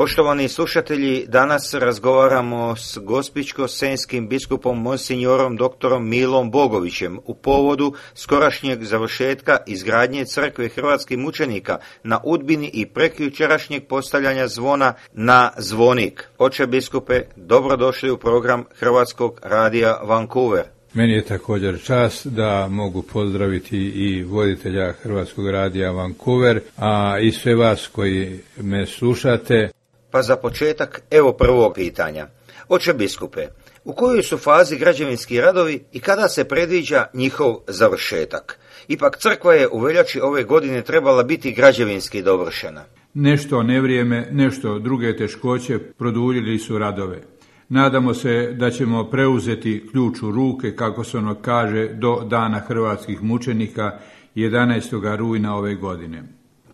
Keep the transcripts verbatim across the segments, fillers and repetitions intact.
Poštovani slušatelji, danas razgovaramo s gospićko-senjskim biskupom monsignorom doktorom Milom Bogovićem u povodu skorašnjeg završetka izgradnje crkve hrvatskih mučenika na Udbini i prekjučerašnjeg postavljanja zvona na zvonik. Oče biskupe, dobrodošli u program Hrvatskog radija Vancouver. Meni je također čast da mogu pozdraviti i voditelja Hrvatskog radija Vancouver, a i sve vas koji me slušate. Pa za početak, evo prvog pitanja. Oče biskupe, u kojoj su fazi građevinski radovi i kada se predviđa njihov završetak? Ipak crkva je u veljači ove godine trebala biti građevinski dovršena. Nešto nevrijeme, nešto druge teškoće produljili su radove. Nadamo se da ćemo preuzeti ključ u ruke, kako se ono kaže, do dana hrvatskih mučenika jedanaestog rujna ove godine.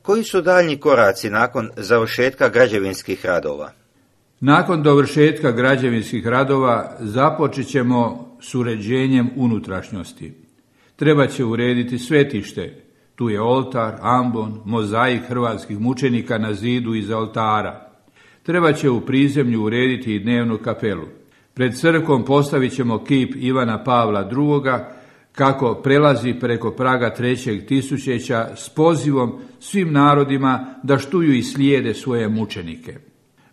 Koji su daljnji koraci nakon završetka građevinskih radova? Nakon dovršetka građevinskih radova započet ćemo s uređenjem unutrašnjosti. Treba će urediti svetište. Tu je oltar, ambon, mozaik hrvatskih mučenika na zidu iza oltara. Treba će u prizemlju urediti i dnevnu kapelu. Pred crkvom postavit ćemo kip Ivana Pavla drugoga, kako prelazi preko praga trećeg tisućeća s pozivom svim narodima da štuju i slijede svoje mučenike.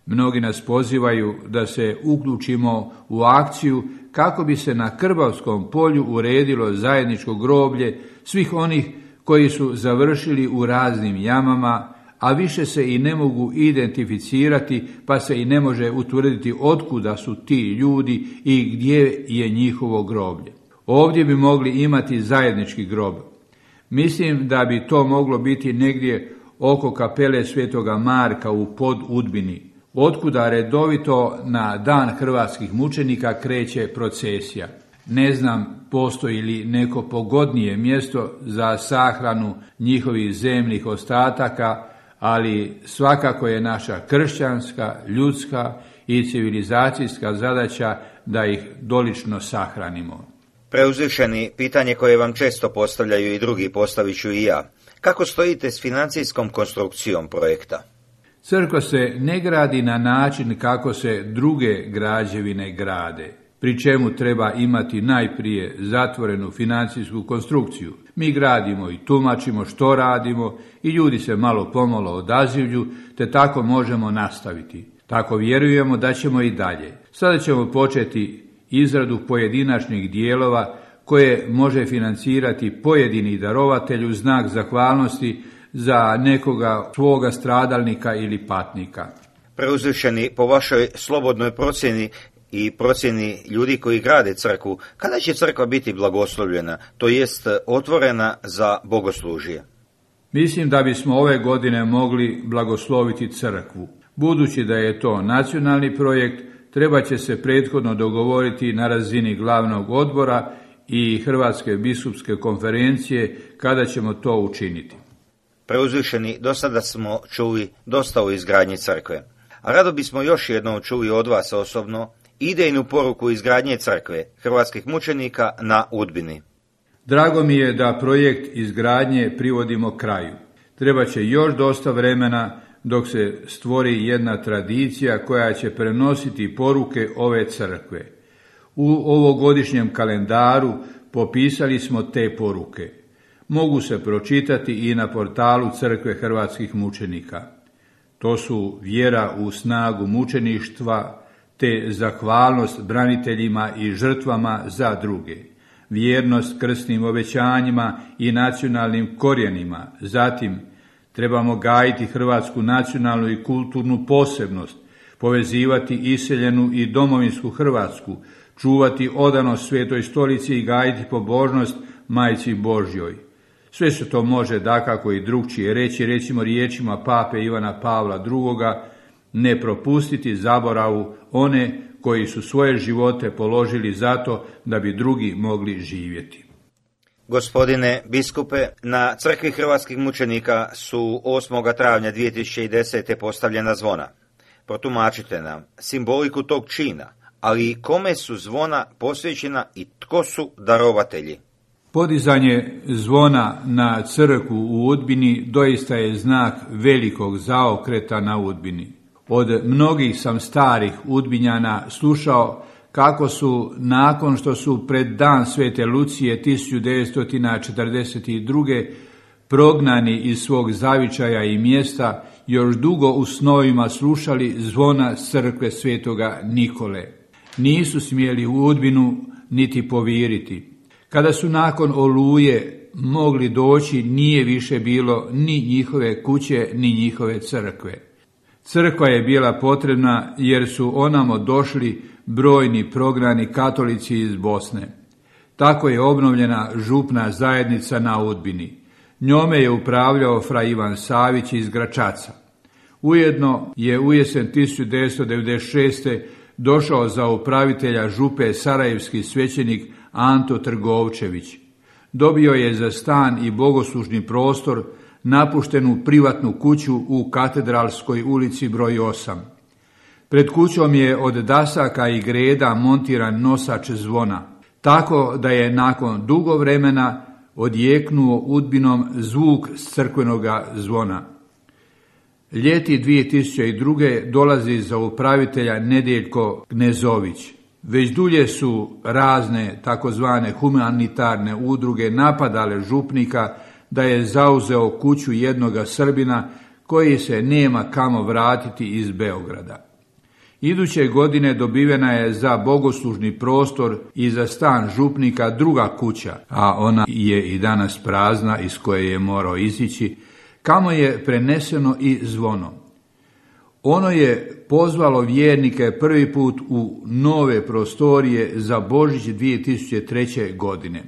Mnogi nas pozivaju da se uključimo u akciju kako bi se na Krbavskom polju uredilo zajedničko groblje svih onih koji su završili u raznim jamama, a više se i ne mogu identificirati, pa se i ne može utvrditi otkuda su ti ljudi i gdje je njihovo groblje. Ovdje bi mogli imati zajednički grob. Mislim da bi to moglo biti negdje oko kapele Svetoga Marka u Podudbini, otkuda redovito na dan hrvatskih mučenika kreće procesija. Ne znam postoji li neko pogodnije mjesto za sahranu njihovih zemnih ostataka, ali svakako je naša kršćanska, ljudska i civilizacijska zadaća da ih dolično sahranimo. Preuzvišeni, pitanje koje vam često postavljaju i drugi, postavit ću i ja. Kako stojite s financijskom konstrukcijom projekta? Crkva se ne gradi na način kako se druge građevine grade, pri čemu treba imati najprije zatvorenu financijsku konstrukciju. Mi gradimo i tumačimo što radimo i ljudi se malo pomalo odazivlju, te tako možemo nastaviti. Tako vjerujemo da ćemo i dalje. Sada ćemo početi izradu pojedinačnih dijelova koje može financirati pojedini darovatelj u znak zahvalnosti za nekoga svoga stradalnika ili patnika. Preuzvišeni, po vašoj slobodnoj procjeni i procjeni ljudi koji grade crkvu, kada će crkva biti blagoslovljena, to jest otvorena za bogoslužje? Mislim da bismo ove godine mogli blagosloviti crkvu. Budući da je to nacionalni projekt, treba će se prethodno dogovoriti na razini glavnog odbora i Hrvatske biskupske konferencije kada ćemo to učiniti. Preuzvišeni, do sada smo čuli dosta o izgradnji crkve. A rado bismo još jednom čuli od vas osobno idejnu poruku izgradnje crkve hrvatskih mučenika na Udbini. Drago mi je da projekt izgradnje privodimo kraju. Treba će još dosta vremena dok se stvori jedna tradicija koja će prenositi poruke ove crkve. U ovogodišnjem kalendaru popisali smo te poruke. Mogu se pročitati i na portalu Crkve hrvatskih mučenika. To su vjera u snagu mučeništva, te zahvalnost braniteljima i žrtvama za druge, vjernost krsnim obećanjima i nacionalnim korijenima. Zatim, trebamo gajiti hrvatsku nacionalnu i kulturnu posebnost, povezivati iseljenu i domovinsku Hrvatsku, čuvati odanost Svetoj stolici i gajiti pobožnost Majci Božjoj. Sve se to može dakako i drugčije reći, recimo riječima pape Ivana Pavla drugoga, ne propustiti zaboravu one koji su svoje živote položili zato da bi drugi mogli živjeti. Gospodine biskupe, na crkvi hrvatskih mučenika su osmog travnja dvije tisuće desete. postavljena zvona. Protumačite nam simboliku tog čina, ali i kome su zvona posvećena i tko su darovatelji. Podizanje zvona na crkvu u Udbini doista je znak velikog zaokreta na Udbini. Od mnogih sam starih Udbinjana slušao kako su, nakon što su pred dan Svete Lucije tisuću devetsto četrdeset druge prognani iz svog zavičaja i mjesta, još dugo u snovima slušali zvona crkve Svetoga Nikole. Nisu smjeli u Udbinu niti poviriti. Kada su nakon Oluje mogli doći, nije više bilo ni njihove kuće, ni njihove crkve. Crkva je bila potrebna jer su onamo došli brojni prognani katolici iz Bosne. Tako je obnovljena župna zajednica na Udbini. Njome je upravljao fra Ivan Savić iz Gračaca. Ujedno je u jesen tisuću devetsto devedeset šeste. došao za upravitelja župe sarajevski svećenik Anto Trgovčević. Dobio je za stan i bogoslužni prostor napuštenu privatnu kuću u Katedralskoj ulici broj osam. Pred kućom je od dasaka i greda montiran nosač zvona, tako da je nakon dugo vremena odjeknuo Udbinom zvuk s crkvenoga zvona. Ljeti dvije tisuće druge. dolazi za upravitelja Nedeljko Knezović. Već dulje su razne takozvane humanitarne udruge napadale župnika da je zauzeo kuću jednoga Srbina koji se nema kamo vratiti iz Beograda. Iduće godine dobivena je za bogoslužni prostor i za stan župnika druga kuća, a ona je i danas prazna iz koje je morao izići, kamo je preneseno i zvono. Ono je pozvalo vjernike prvi put u nove prostorije za Božić dvije tisuće treće. godine.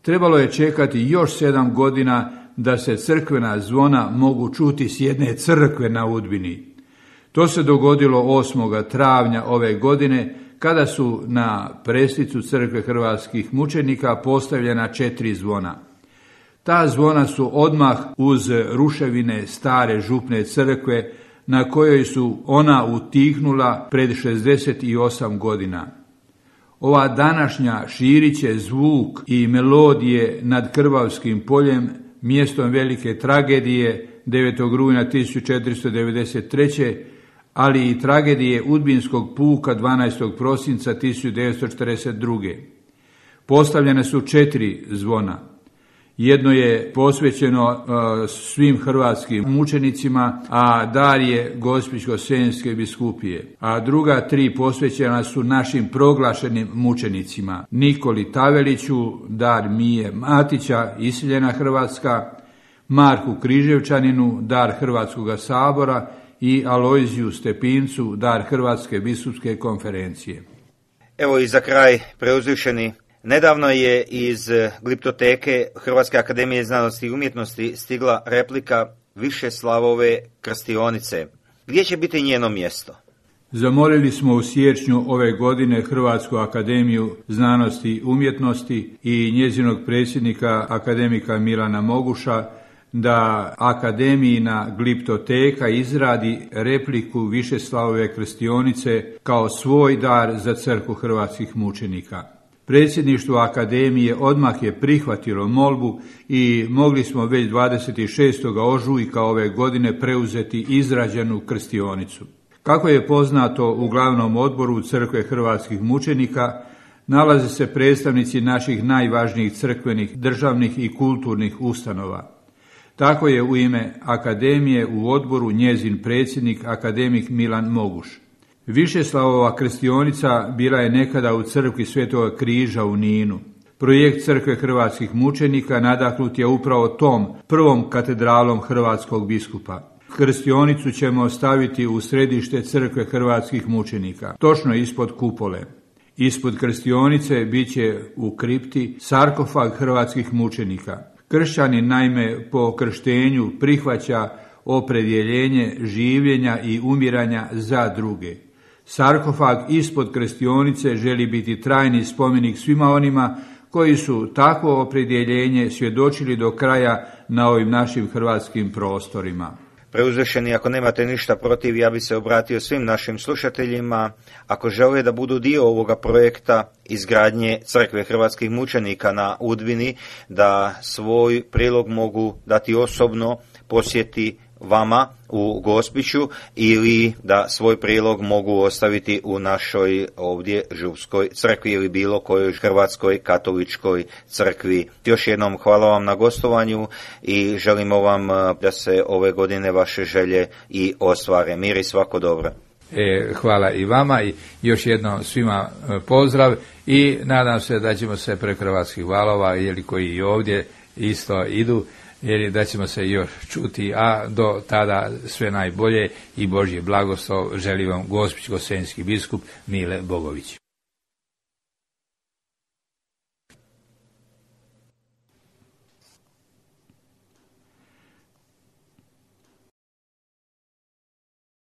Trebalo je čekati još sedam godina da se crkvena zvona mogu čuti s jedne crkve na Udbini. To se dogodilo osmog travnja ove godine, kada su na preslicu crkve hrvatskih mučenika postavljena četiri zvona. Ta zvona su odmah uz ruševine stare župne crkve, na kojoj su ona utihnula pred šezdeset osam godina. Ova današnja širit će zvuk i melodije nad Krvavskim poljem, mjestom velike tragedije devetog rujna tisuću četiristo devedeset treće. ali i tragedije Udbinskog puka dvanaestog prosinca tisuću devetsto četrdeset druge. Postavljene su četiri zvona. Jedno je posvećeno uh, svim hrvatskim mučenicima, a dar je Gospićko-senjske biskupije. A druga tri posvećena su našim proglašenim mučenicima. Nikoli Taveliću, dar Mije Matića, iseljena Hrvatska, Marku Križevčaninu, dar Hrvatskoga sabora i Alojziju Stepincu, dar Hrvatske biskupske konferencije. Evo i za kraj, preuzvišeni, nedavno je iz gliptoteke Hrvatske akademije znanosti i umjetnosti stigla replika Višeslavove krstionice. Gdje će biti njeno mjesto? Zamolili smo u siječnju ove godine Hrvatsku akademiju znanosti i umjetnosti i njezinog predsjednika akademika Milana Moguša da akademijina gliptoteka izradi repliku Višeslavove krstionice kao svoj dar za crkvu hrvatskih mučenika. Predsjedništvo akademije odmah je prihvatilo molbu i mogli smo već dvadeset šestog ožujka ove godine preuzeti izrađenu krstionicu. Kako je poznato, u glavnom odboru crkve hrvatskih mučenika nalaze se predstavnici naših najvažnijih crkvenih, državnih i kulturnih ustanova. Tako je u ime akademije u odboru njezin predsjednik akademik Milan Moguš. Višeslavova krstionica bila je nekada u crkvi Svetoga križa u Ninu. Projekt crkve hrvatskih mučenika nadahnut je upravo tom prvom katedralom hrvatskog biskupa. Krstionicu ćemo staviti u središte crkve hrvatskih mučenika, točno ispod kupole. Ispod krstionice bit će u kripti sarkofag hrvatskih mučenika. Kršćanin naime po krštenju prihvaća opredjeljenje življenja i umiranja za druge. Sarkofag ispod krstionice želi biti trajni spomenik svima onima koji su takvo opredjeljenje svjedočili do kraja na ovim našim hrvatskim prostorima. Preuzvišeni, ako nemate ništa protiv, ja bi se obratio svim našim slušateljima, ako žele da budu dio ovoga projekta izgradnje crkve hrvatskih mučenika na Udbini, da svoj prilog mogu dati osobno, posjeti vama u Gospiću ili da svoj prilog mogu ostaviti u našoj ovdje Župskoj crkvi ili bilo kojoj hrvatskoj katoličkoj crkvi. Još jednom hvala vam na gostovanju i želimo vam da se ove godine vaše želje i ostvare. Mir i svako dobro. E, hvala i vama i još jednom svima pozdrav i nadam se da ćemo se preko hrvatskih valova ili koji i ovdje isto idu, jer da ćemo se još čuti, a do tada sve najbolje i Božji blagoslov želi vam gospićko-senjski biskup Mile Bogović.